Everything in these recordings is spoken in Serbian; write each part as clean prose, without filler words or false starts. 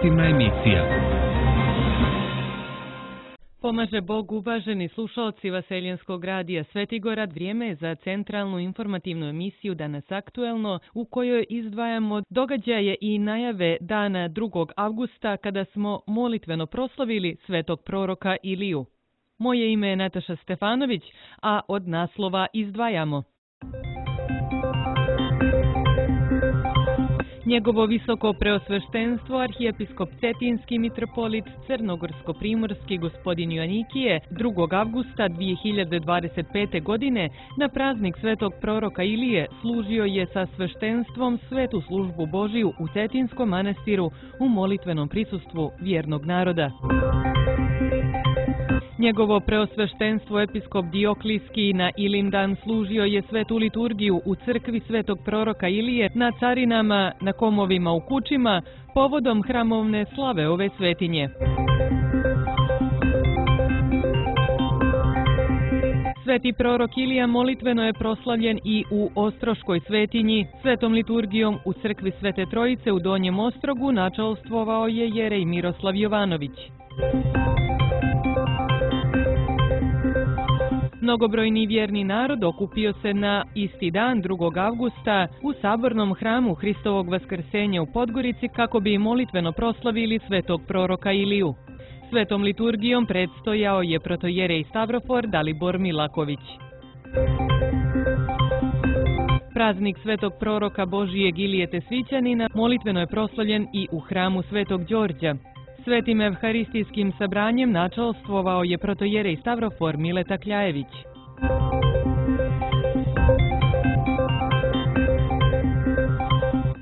informativna emisija. Pomaže Bog, uvaženi slušalci Vaseljenskog radija Svetigorad, vrijeme je za centralnu informativnu emisiju Danas aktuelno, u kojoj izdvajamo događaje i najave dana 2. avgusta kada smo molitveno proslavili svetog proroka Iliju. Moje ime je Nataša Stefanović, a od naslova izdvajamo: Njegovo visoko preosveštenstvo, arhijepiskop Cetinski mitropolit Crnogorsko-primorski gospodin Joanikije 2. avgusta 2025. godine na praznik svetog proroka Ilije služio je sa sveštenstvom svetu službu Božiju u Cetinskom manastiru u molitvenom prisustvu vjernog naroda. Njegovo preosveštenstvo episkop Dioklijski na Ilindan služio je svetu liturgiju u crkvi svetog proroka Ilije na Carinama, na Komovima u Kučima, povodom hramovne slave ove svetinje. Sveti prorok Ilija molitveno je proslavljen i u Ostroškoj svetinji. Svetom liturgijom u crkvi Svete Trojice u Donjem Ostrogu načalstvovao je jerej Miroslav Jovanović. Mnogobrojni vjerni narod okupio se na isti dan 2. avgusta u sabornom hramu Hristovog vaskrsenja u Podgorici kako bi molitveno proslavili svetog proroka Iliju. Svetom liturgijom predstojao je protojerej Stavrofor Dalibor Milaković. Praznik svetog proroka Božijeg Ilije Tesvićanina molitveno je proslavljen i u hramu Svetog Đorđa. Svetim evharistijskim sabranjem načalstvovao je protojerej Stavrofor Mileta Kljajević.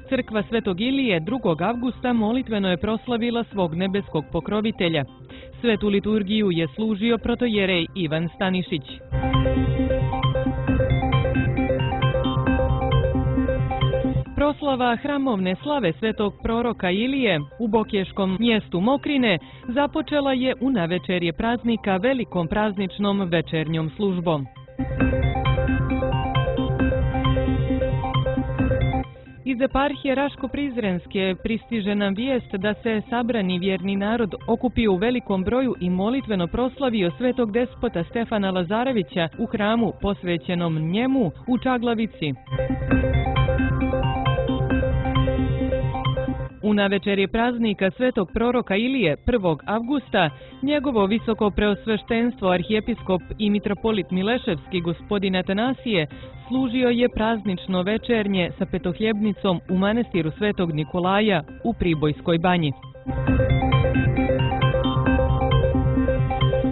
Crkva Svetog Ilije 2. avgusta molitveno je proslavila svog nebeskog pokrovitelja. Svetu liturgiju je služio protojerej Ivan Stanišić. Proslava hramovne slave svetog proroka Ilije u bokješkom mjestu Mokrine započela je u navečerje praznika velikom prazničnom večernjom službom. Iz eparhije Raško-Prizrenske pristiže nam vijest da se sabrani vjerni narod okupio u velikom broju i molitveno proslavio svetog despota Stefana Lazarevića u hramu posvećenom njemu u Čaglavici. U navečerje praznika svetog proroka Ilije 1. avgusta njegovo visoko preosveštenstvo arhijepiskop i mitropolit Mileševski gospodin Atanasije služio je praznično večernje sa petohljebnicom u manastiru Svetog Nikolaja u Pribojskoj banji.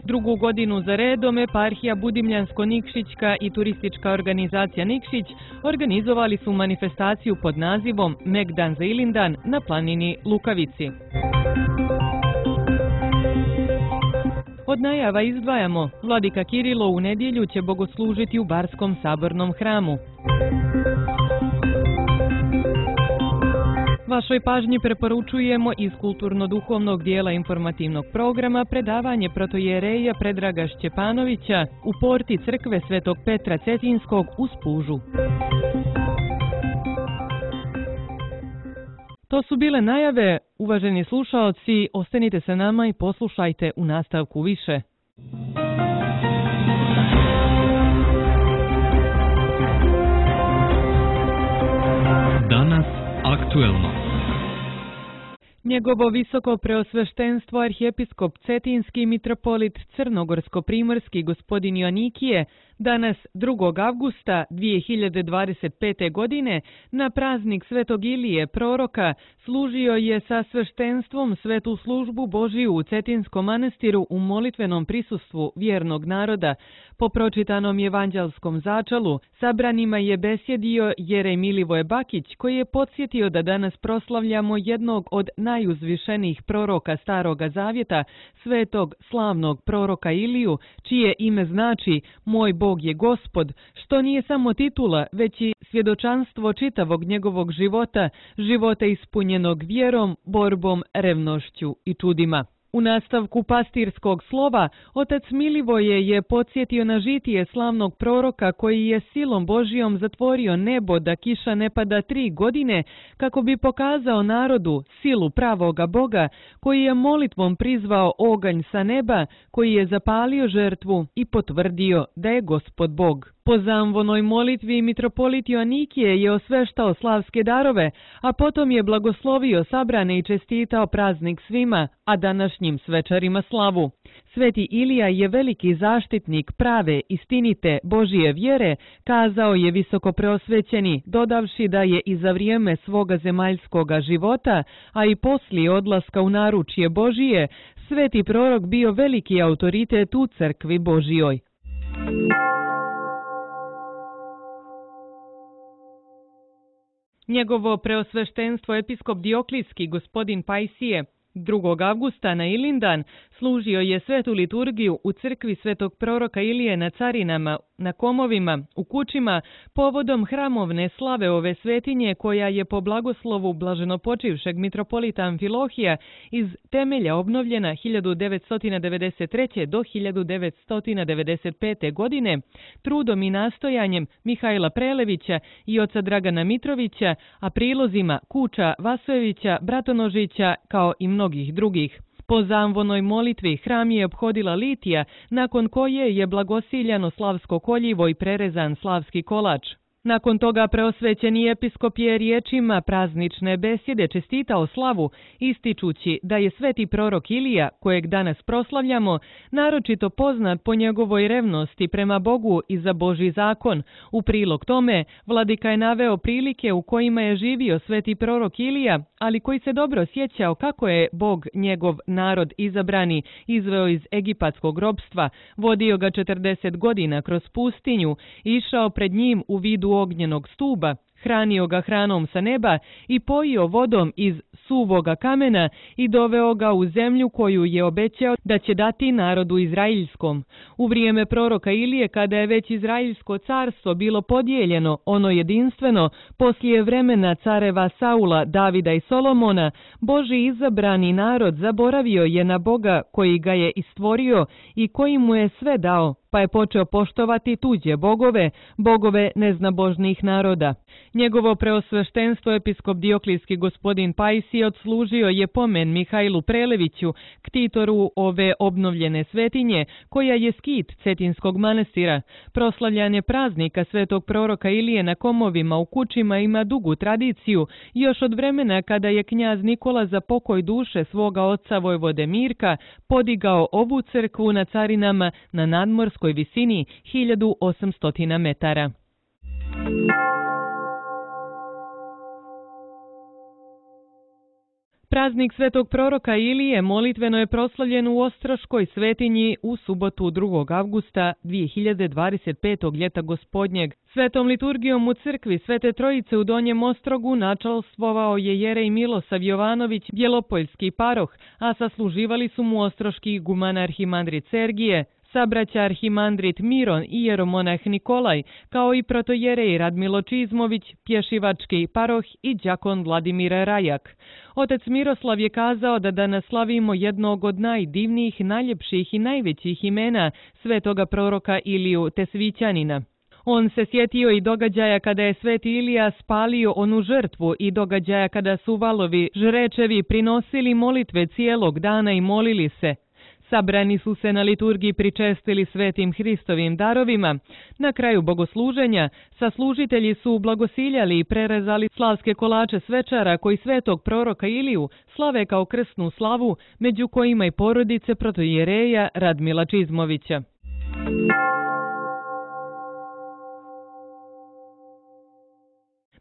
Drugu godinu za redom eparhija Budimljansko-Nikšićka i turistička organizacija Nikšić organizovali su manifestaciju pod nazivom Megdan za Ilindan na planini Lukavici. Od najava izdvajamo: Vladika Kirilo u nedjelju će bogoslužiti u Barskom sabornom hramu. Vašoj pažnji preporučujemo iz kulturno-duhovnog dijela informativnog programa predavanje protojereja Predraga Šćepanovića u porti crkve Svetog Petra Cetinskog u Spužu. To su bile najave. Uvaženi slušaoci, ostanite sa nama i poslušajte u nastavku više. Danas aktuelno. Njegovo visoko preosveštenstvo arhijepiskop Cetinski mitropolit Crnogorsko-primorski gospodin Joanikije danas 2. avgusta 2025. godine na praznik svetog Ilije proroka služio je sa sveštenstvom svetu službu Božiju u Cetinskom manastiru u molitvenom prisustvu vjernog naroda. Po pročitanom evanđelskom začalu sabranima je besjedio jerej Milivoje Bakić, koji je podsjetio da danas proslavljamo jednog od najuzvišenijih proroka Staroga Zavjeta, svetog slavnog proroka Iliju, čije ime znači Moj Bog je Gospod, što nije samo titula, već i svjedočanstvo čitavog njegovog života, života ispunjenog vjerom, borbom, revnošću i čudima. U nastavku pastirskog slova, otac Milivoje je podsjetio na žitije slavnog proroka koji je silom Božijom zatvorio nebo da kiša ne pada 3 godine, kako bi pokazao narodu silu pravoga Boga, koji je molitvom prizvao oganj sa neba, koji je zapalio žrtvu i potvrdio da je Gospod Bog. Po zamvonoj molitvi mitropolit Joanikije je osveštao slavske darove, a potom je blagoslovio sabrane i čestitao praznik svima, a današnjim svečarima slavu. Sveti Ilija je veliki zaštitnik prave, istinite Božije vjere, kazao je visoko preosvećeni, dodavši da je i za vrijeme svoga zemaljskoga života, a i poslije odlaska u naručje Božije, sveti prorok bio veliki autoritet u crkvi Božijoj. Njegovo preosveštenstvo episkop Dioklijski gospodin Pajsije 2. avgusta na Ilindan služio je svetu liturgiju u crkvi svetog proroka Ilije na Carinama, na Komovima, u Kučima, povodom hramovne slave ove svetinje koja je po blagoslovu blaženopočivšeg mitropolita Amfilohija iz temelja obnovljena 1993. do 1995. godine trudom i nastojanjem Mihajla Prelevića i oca Dragana Mitrovića, a prilozima Kuča, Vasojevića, Bratonožića kao i mnogih drugih. Po zamvonoj molitvi hram je ophodila litija, nakon koje je blagosiljano slavsko koljivo i prerezan slavski kolač. Nakon toga preosvećeni episkop je riječima praznične besjede čestitao slavu, ističući da je sveti prorok Ilija, kojeg danas proslavljamo, naročito poznat po njegovoj revnosti prema Bogu i za Božji zakon. U prilog tome, vladika je naveo prilike u kojima je živio sveti prorok Ilija, ali koji se dobro sjećao kako je Bog njegov narod izabrani izveo iz egipatskog ropstva, vodio ga 40 godina kroz pustinju, išao pred njim u vidu ognjenog stuba, hranio ga hranom sa neba i pojio vodom iz suvoga kamena i doveo ga u zemlju koju je obećao da će dati narodu izraeljskom. U vrijeme proroka Ilije, kada je već Izraeljsko carstvo bilo podijeljeno, ono jedinstveno, poslije vremena careva Saula, Davida i Solomona, Božji izabrani narod zaboravio je na Boga koji ga je istvorio i koji mu je sve dao, pa je počeo poštovati tuđe bogove, bogove neznabožnih naroda. Njegovo preosveštenstvo episkop Dioklijski gospodin Pajsije odslužio je pomen Mihajlu Preleviću, ktitoru ove obnovljene svetinje, koja je skit Cetinskog manastira. Proslavljanje praznika svetog proroka Ilije na Komovima u Kučima ima dugu tradiciju, još od vremena kada je knjaz Nikola za pokoj duše svoga oca vojvode Mirka podigao ovu crkvu na Carinama na nadmorskoj visini 1800 metara. Praznik svetog proroka Ilije molitveno je proslavljen u Ostroškoj svetinji u subotu 2. avgusta 2025. ljeta gospodnjeg. Svetom liturgijom u crkvi Svete Trojice u Donjem Ostrogu načalstvovao je jerej Milosav Jovanović, bjelopoljski paroh, a sasluživali su mu ostroški iguman arhimandrit Sergije, sabraća arhimandrit Miron i jeromonah Nikolaj, kao i protojerej Radmilo Čizmović, pješivački paroh i đakon Vladimir Rajak. Otac Miroslav je kazao da danas slavimo jednog od najdivnijih, najljepših i najvećih imena svetoga proroka Iliju Tesvićanina. On se sjetio i događaja kada je sveti Ilija spalio onu žrtvu i događaja kada su valovi žrečevi prinosili molitve cijelog dana i molili se. Sabrani su se na liturgiji pričestili svetim Hristovim darovima. Na kraju bogosluženja saslužitelji su blagosiljali i prerezali slavske kolače svečara koji svetog proroka Iliju slave kao krsnu slavu, među kojima i porodice protojereja Radmila Čizmovića.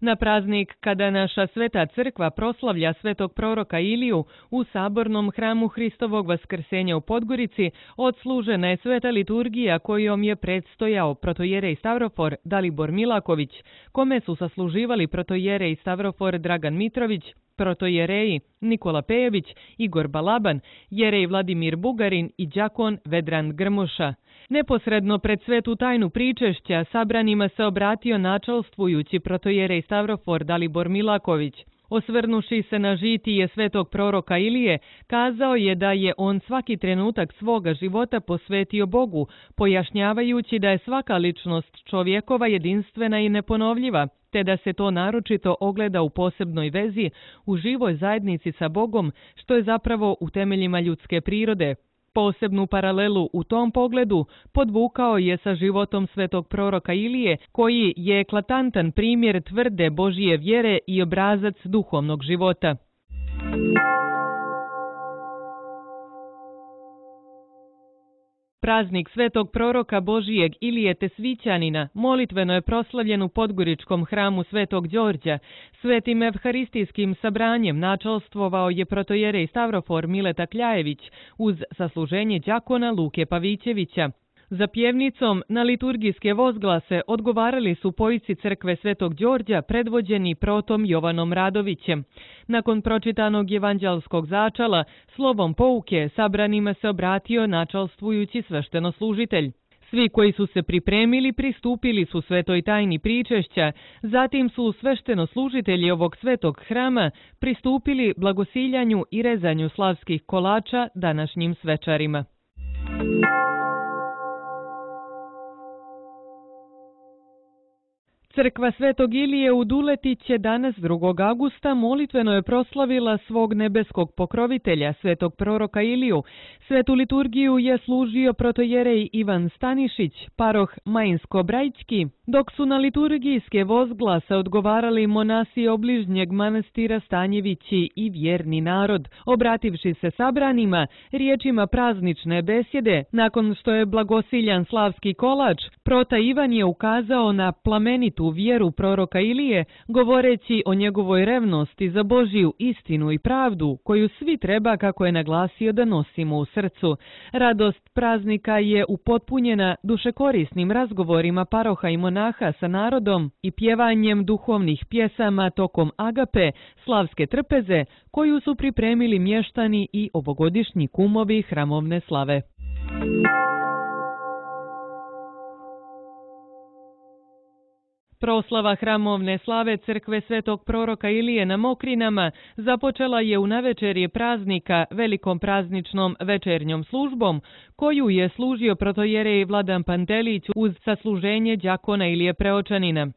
Na praznik kada naša sveta crkva proslavlja svetog proroka Iliju u sabornom hramu Hristovog vaskrsenja u Podgorici odslužena je sveta liturgija kojom je predstojao protojerej Stavrofor Dalibor Milaković, kome su sasluživali protojerej Stavrofor Dragan Mitrović, protojereji Nikola Pejević, Igor Balaban, jerej Vladimir Bugarin i đakon Vedran Grmoša. Neposredno pred svetu tajnu pričešća sabranima se obratio načalstvujući protojerej Stavrofor Dalibor Milaković. Osvrnuši se na žitije svetog proroka Ilije, kazao je da je on svaki trenutak svoga života posvetio Bogu, pojašnjavajući da je svaka ličnost čovjekova jedinstvena i neponovljiva, te da se to naročito ogleda u posebnoj vezi, u živoj zajednici sa Bogom, što je zapravo u temeljima ljudske prirode. Posebnu paralelu u tom pogledu podvukao je sa životom svetog proroka Ilije, koji je eklatantan primjer tvrde Božije vjere i obrazac duhovnog života. Praznik svetog proroka Božijeg Ilije Tesvićanina molitveno je proslavljen u Podgoričkom hramu Svetog Đorđa. Svetim evharistijskim sabranjem načalstvovao je protojerej Stavrofor Mileta Kljajević uz sasluženje đakona Luke Pavićevića. Za pjevnicom na liturgijske vozglase odgovarali su pojici crkve Svetog Đorđa predvođeni protom Jovanom Radovićem. Nakon pročitanog evanđelskog začala, slovom pouke sabranima se obratio načalstvujući sveštenoslужitelj. Svi koji su se pripremili pristupili su svetoj tajni pričešća, zatim su sveštenoslужitelji ovog svetog hrama pristupili blagosiljanju i rezanju slavskih kolača današnjim svečarima. Crkva Svetog Ilije u Duletiće danas 2. augusta molitveno je proslavila svog nebeskog pokrovitelja, svetog proroka Iliju. Svetu liturgiju je služio protojerej Ivan Stanišić, paroh Majinsko-Brajčki, dok su na liturgijske vozglase odgovarali monasi obližnjeg manastira Stanjevići i vjerni narod. Obrativši se sabranima riječima praznične besjede, nakon što je blagosiljan slavski kolač, prota Ivan je ukazao na plamenitu vjeru proroka Ilije, govoreći o njegovoj revnosti za Božiju istinu i pravdu, koju svi treba, kako je naglasio, da nosimo u srcu. Radost praznika je upotpunjena dušekorisnim razgovorima paroha i monaha sa narodom i pjevanjem duhovnih pjesama tokom agape, slavske trpeze, koju su pripremili mještani i ovogodišnji kumovi hramovne slave. Proslava hramovne slave crkve Svetog proroka Ilije na Mokrinama započela je u navečerje praznika velikom prazničnom večernjom službom, koju je služio protojerej Vladan Pantelić uz sasluženje đakona Ilije Preočanina.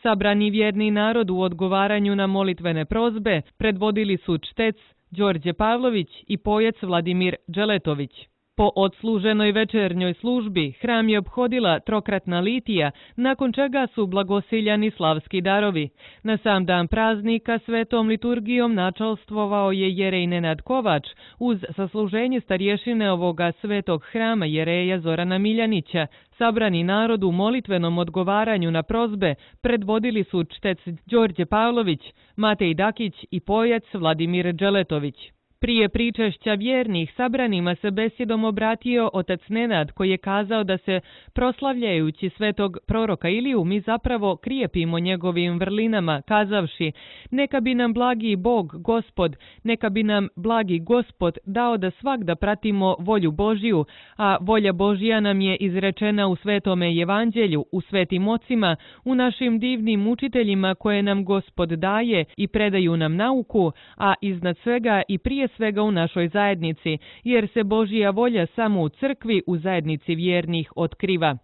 Sabrani vjerni narod u odgovaranju na molitvene prozbe predvodili su čtec Đorđe Pavlović i pojec Vladimir Đeletović. Po odsluženoj večernjoj službi hram je ophodila trokratna litija, nakon čega su blagosiljani slavski darovi. Na sam dan praznika svetom liturgijom načalstvovao je jerej Nenad Kovač uz sasluženje starješine ovoga svetog hrama jereja Zorana Miljanića. Sabrani narod u molitvenom odgovaranju na prozbe predvodili su čtec Đorđe Pavlović, Matej Dakić i pojac Vladimir Đeletović. Prije pričešća vjernih sabranima se besjedom obratio otac Nenad, koji je kazao da se proslavljajući svetog proroka Iliju mi zapravo krijepimo njegovim vrlinama, kazavši: neka bi nam blagi Bog, Gospod, neka bi nam blagi Gospod dao da svagda pratimo volju Božiju, a volja Božija nam je izrečena u svetome evanđelju, u svetim ocima, u našim divnim učiteljima koje nam Gospod daje i predaju nam nauku, a iznad svega i prije svega u našoj zajednici, jer se Božija volja samo u crkvi, u zajednici vjernih, otkriva.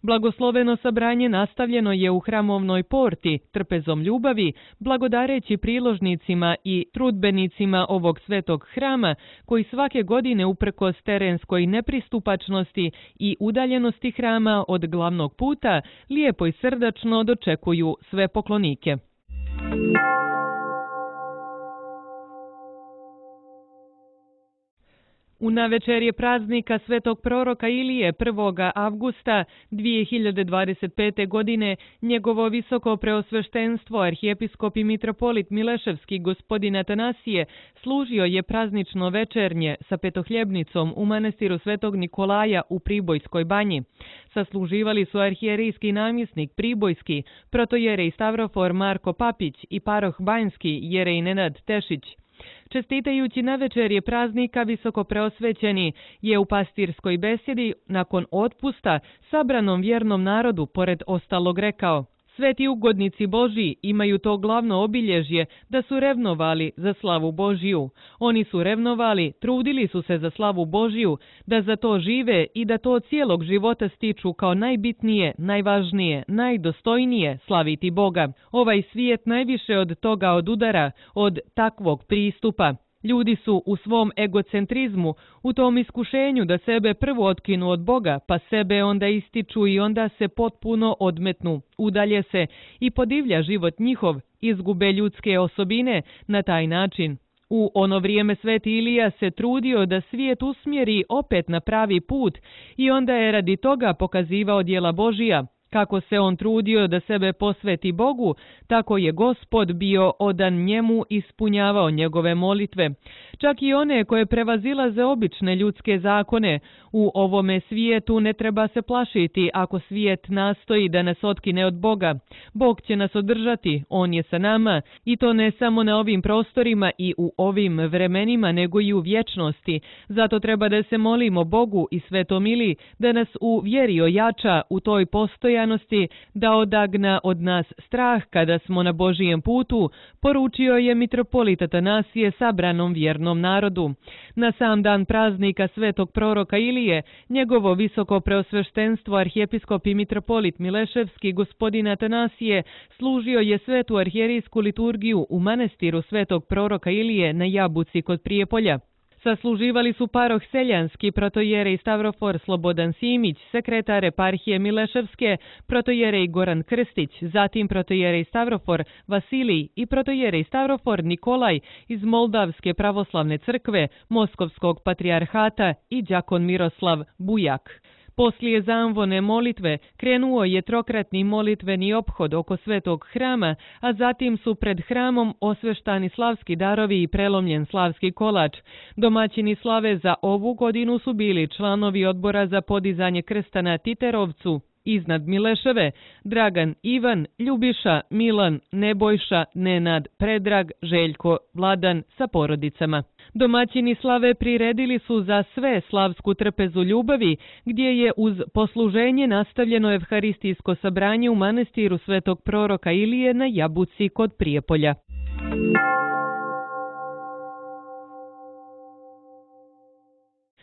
Blagosloveno sabranje nastavljeno je u hramovnoj porti, trpezom ljubavi, blagodareći priložnicima i trudbenicima ovog svetog hrama, koji svake godine uprkos terenskoj nepristupačnosti i udaljenosti hrama od glavnog puta, lijepo i srdačno dočekuju sve poklonike. U navečerje praznika svetog proroka Ilije 1. avgusta 2025. godine njegovo visoko preosveštenstvo arhijepiskop i mitropolit Mileševski gospodin Atanasije služio je praznično večernje sa petohljebnicom u manastiru Svetog Nikolaja u Pribojskoj banji. Sasluživali su arhijerijski namjesnik Pribojski, protojerej Stavrofor Marko Papić i paroh Banjski jerej Nenad Tešić. Čestitajući navečerje praznika visoko preosvećeni je u pastirskoj besjedi nakon otpusta sabranom vjernom narodu pored ostalog rekao: Sveti ugodnici Božji imaju to glavno obilježje da su revnovali za slavu Božju. Oni su revnovali, trudili su se za slavu Božju, da za to žive i da to cijelog života stiču kao najbitnije, najvažnije, najdostojnije slaviti Boga. Ovaj svijet najviše od toga odudara, od takvog pristupa. Ljudi su u svom egocentrizmu, u tom iskušenju da sebe prvo otkinu od Boga, pa sebe onda ističu i onda se potpuno odmetnu, udalje se i podivlja život njihov, izgube ljudske osobine na taj način. U ono vrijeme Sveti Ilija se trudio da svijet usmjeri opet na pravi put i onda je radi toga pokazivao djela Božija. Kako se on trudio da sebe posveti Bogu, tako je Gospod bio odan njemu i ispunjavao njegove molitve. Čak i one koje prevazilaze obične ljudske zakone. U ovome svijetu ne treba se plašiti ako svijet nastoji da nas otkine od Boga. Bog će nas održati, on je sa nama i to ne samo na ovim prostorima i u ovim vremenima, nego i u vječnosti. Zato treba da se molimo Bogu i Svetom Iliji da nas u vjeri ojača u toj postojanosti, da odagna od nas strah kada smo na Božijem putu, poručio je mitropolit Atanasije sabranom vjernom narodu. Na sam dan praznika svetog proroka Ilije, njegovo visoko preosveštenstvo arhijepiskop i mitropolit Mileševski gospodin Atanasije služio je svetu arhijerijsku liturgiju u manastiru svetog proroka Ilije na Jabuci kod Prijepolja. Sasluživali su paroh Seljanski, protojerej Stavrofor Slobodan Simić, sekretar eparhije Mileševske, protojerej Goran Krstić, zatim protojerej Stavrofor Vasilij i protojerej Stavrofor Nikolaj iz Moldavske pravoslavne crkve, Moskovskog patrijarhata i đakon Miroslav Bujak. Poslije zamvone molitve krenuo je trokratni molitveni ophod oko svetog hrama, a zatim su pred hramom osveštani slavski darovi i prelomljen slavski kolač. Domaćini slave za ovu godinu su bili članovi odbora za podizanje krsta na Titerovcu, iznad Mileševe, Dragan, Ivan, Ljubiša, Milan, Nebojša, Nenad, Predrag, Željko, Vladan sa porodicama. Domaćini slave priredili su za sve slavsku trpezu ljubavi, gdje je uz posluženje nastavljeno evharistijsko sabranje u manastiru svetog proroka Ilije na Jabuci kod Prijepolja.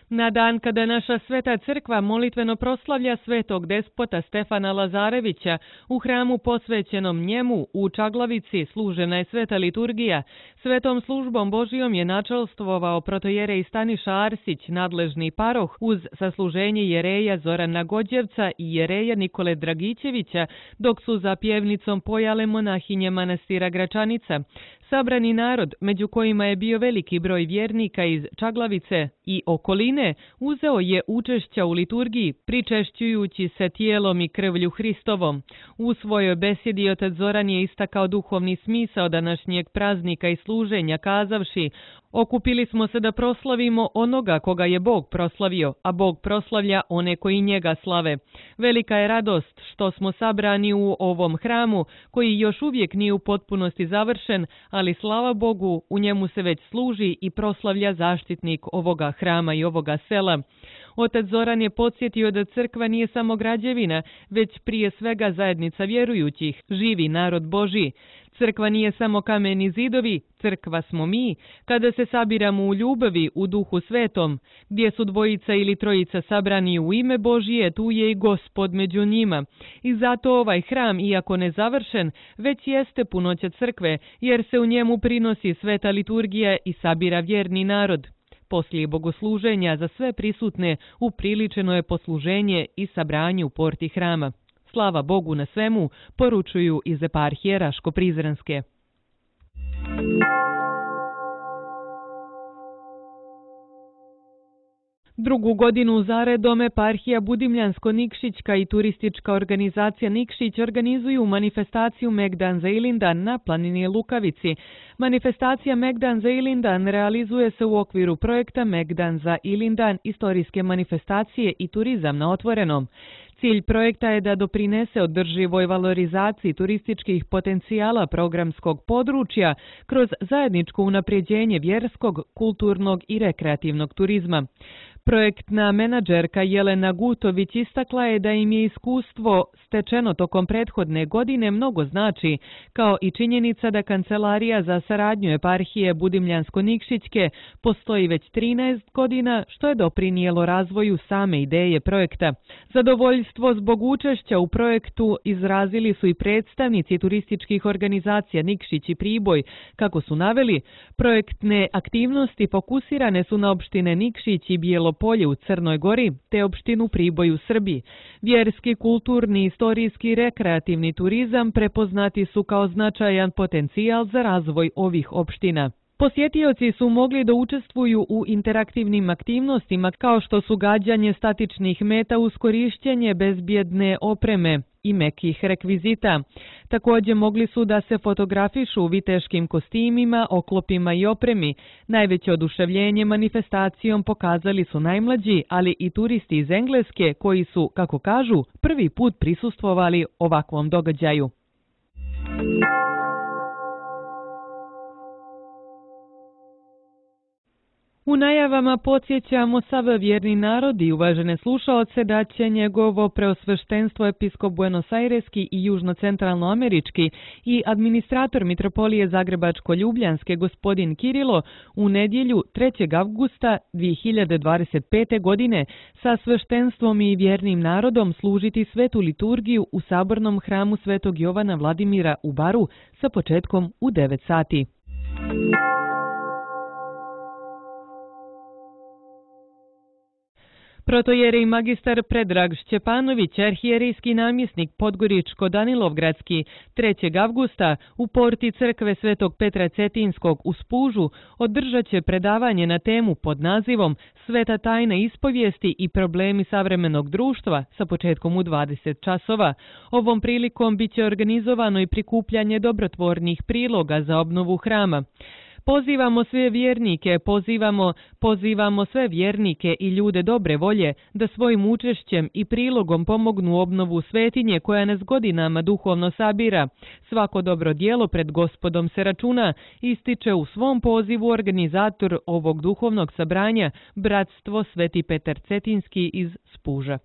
Na dan kada naša sveta crkva molitveno proslavlja svetog despota Stefana Lazarevića, u hramu posvećenom njemu u Čaglavici služena je sveta liturgija. Svetom službom Božijom je načelstvovao protojerej Staniša Arsić, nadležni paroh, uz sasluženje jereja Zorana Gođevca i jereja Nikole Dragićevića, dok su za pjevnicom pojale monahinje manastira Gračanica. Sabrani narod, među kojima je bio veliki broj vjernika iz Čaglavice i okoline, uzeo je učešća u liturgiji, pričešćujući se tijelom i krvlju Hristovom. U svojoj besjedi otac Zoran je istakao duhovni smisao današnjeg praznika i služenja, kazavši: okupili smo se da proslavimo onoga koga je Bog proslavio, a Bog proslavlja one koji njega slave. Velika je radost što smo sabrani u ovom hramu, koji još uvijek nije u potpunosti završen, ali slava Bogu, u njemu se već služi i proslavlja zaštitnik ovoga hrama i ovoga sela. Otac Zoran je podsjetio da crkva nije samo građevina, već prije svega zajednica vjerujućih, živi narod Božji. Crkva nije samo kameni zidovi, crkva smo mi, kada se sabiramo u ljubavi, u duhu svetom. Gdje su dvojica ili trojica sabrani u ime Božije, tu je i Gospod među njima. I zato ovaj hram, iako nezavršen, već jeste punoća crkve, jer se u njemu prinosi sveta liturgija i sabira vjerni narod. Poslije bogosluženja za sve prisutne upriličeno je posluženje i sabranje u porti hrama. Slava Bogu na svemu, poručuju iz eparhije Raško-Prizrenske. Drugu godinu zaredom eparhija Budimljansko-Nikšićka i turistička organizacija Nikšić organizuju manifestaciju Megdan za Ilindan na planini Lukavici. Manifestacija Megdan za Ilindan realizuje se u okviru projekta Megdan za Ilindan, istorijske manifestacije i turizam na otvorenom. Cilj projekta je da doprinese održivoj valorizaciji turističkih potencijala programskog područja kroz zajedničko unapređenje vjerskog, kulturnog i rekreativnog turizma. Projektna menadžerka Jelena Gutović istakla je da im je iskustvo stečeno tokom prethodne godine mnogo znači, kao i činjenica da Kancelarija za saradnju eparhije Budimljansko-Nikšićke postoji već 13 godina, što je doprinijelo razvoju same ideje projekta. Zadovoljstvo zbog učešća u projektu izrazili su i predstavnici turističkih organizacija Nikšić i Priboj. Kako su naveli, projektne aktivnosti fokusirane su na opštine Nikšić i Bijelopolje u Crnoj Gori, te opštinu Priboj u Srbiji. Vjerski, kulturni, istorijski i rekreativni turizam prepoznati su kao značajan potencijal za razvoj ovih opština. Posjetioci su mogli da učestvuju u interaktivnim aktivnostima kao što su gađanje statičnih meta uz korišćenje bezbjedne opreme i mekih rekvizita. Također mogli su da se fotografišu u viteškim kostimima, oklopima i opremi. Najveće oduševljenje manifestacijom pokazali su najmlađi, ali i turisti iz Engleske koji su, kako kažu, prvi put prisustvovali ovakvom događaju. U najavama podsjećamo sav vjerni narod i uvažene slušaoce da će njegovo preosveštenstvo episkop Buenos-Aireski i južno-centralnoamerički i administrator mitropolije Zagrebačko-Ljubljanske gospodin Kirilo u nedjelju 3. avgusta 2025. godine sa sveštenstvom i vjernim narodom služiti svetu liturgiju u sabornom hramu Svetog Jovana Vladimira u Baru sa početkom u 9 sati. Protojerej magistar Predrag Šćepanović, arhijerijski namjesnik Podgoričko-Danilovgradski, 3. avgusta u porti crkve Svetog Petra Cetinskog u Spužu održat će predavanje na temu pod nazivom Sveta tajna ispovijesti i problemi savremenog društva sa početkom u 20 časova. Ovom prilikom biće organizovano i prikupljanje dobrotvornih priloga za obnovu hrama. Pozivamo sve vjernike, pozivamo sve vjernike i ljude dobre volje da svojim učešćem i prilogom pomognu obnovu svetinje koja nas godinama duhovno sabira. Svako dobro djelo pred Gospodom se računa, ističe u svom pozivu organizator ovog duhovnog sabranja, Bratstvo Sveti Petar Cetinski iz Spuža.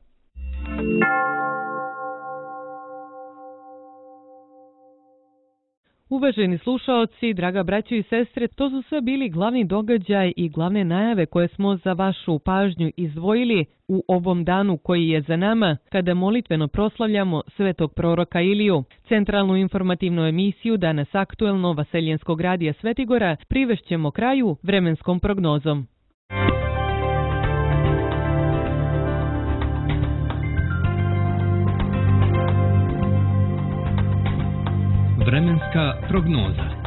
Uvaženi slušaoci, draga braćo i sestre, to su sve bili glavni događaj i glavne najave koje smo za vašu pažnju izdvojili u ovom danu koji je za nama, kada molitveno proslavljamo svetog proroka Iliju. Centralnu informativnu emisiju Danas aktuelno Vaseljenskog radija Svetigora privešćemo kraju vremenskom prognozom. Vremenska prognoza.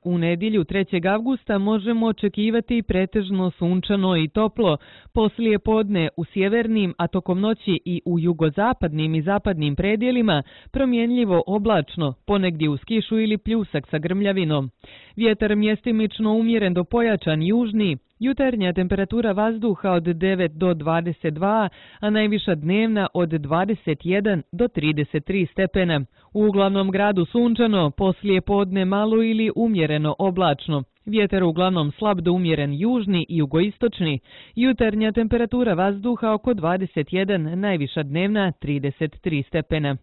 U nedjelju 3. avgusta možemo očekivati pretežno sunčano i toplo. Poslije podne u sjevernim, a tokom noći i u jugozapadnim i zapadnim predjelima promjenljivo oblačno, ponegdje uz kišu ili pljusak sa grmljavinom. Vjetar mjestimično umjeren do pojačan južni. Jutarnja temperatura vazduha od 9 do 22, a najviša dnevna od 21 do 33 stepena. U uglavnom gradu sunčano, poslije podne malo ili umjereno oblačno. Vjetar uglavnom slab do umjeren južni i jugoistočni. Jutarnja temperatura vazduha oko 21, najviša dnevna 33 stepena.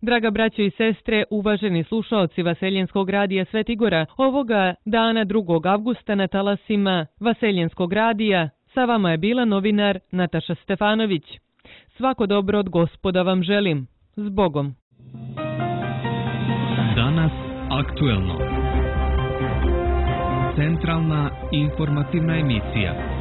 Draga braćo i sestre, uvaženi slušaoci Vaseljenskog radija Svetigora, ovoga dana 2. avgusta na talasima Vaseljenskog radija sa vama je bila novinar Nataša Stefanović. Svako dobro od Gospoda vam želim. S Bogom. Danas aktuelno. Centralna informativna emisija.